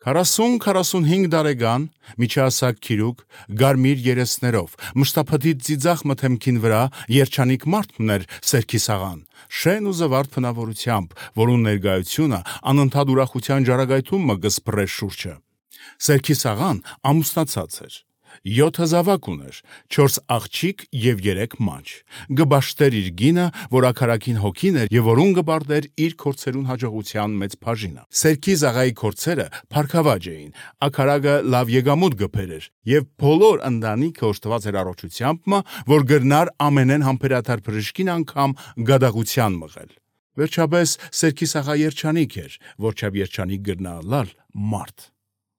40-45 տարեկան, միջահասակ քիրուկ, գարմիր երեսներով, մշտափտի ծիծաղ մթեմքին վրա երջանիկ մարդ ուներ Սերքիս աղան, շեն ու զվարթ փնավորությամբ, որուն ներկայությունը անընդհատ ուրախության ջարագայթում մը գսպռեր շուրջը։ Սերքիս աղան ամուսնացած էր, 7 զավակ ուներ, 4 աղջիկ եւ 3 մանչ, գբաշտեր իր գինը, որ ակարակին հոգին էր եւ որուն գբարդեր իր քորցերուն հաջողության մեծ բաժինը։ Սերքիս աղայի քորցերը փարքավաճ էին, ակարակը լավ եկամուտ գբեր էր եւ բոլոր ընտանիքը օժտված էր առողջությամբ, որ գրնար ամենեն համբերատար բժշկին անգամ գադաղության մղել։ Վերջապես Սերքիս աղա երջանիկ էր, որչափ երջանիկ գրնալալ մարդ։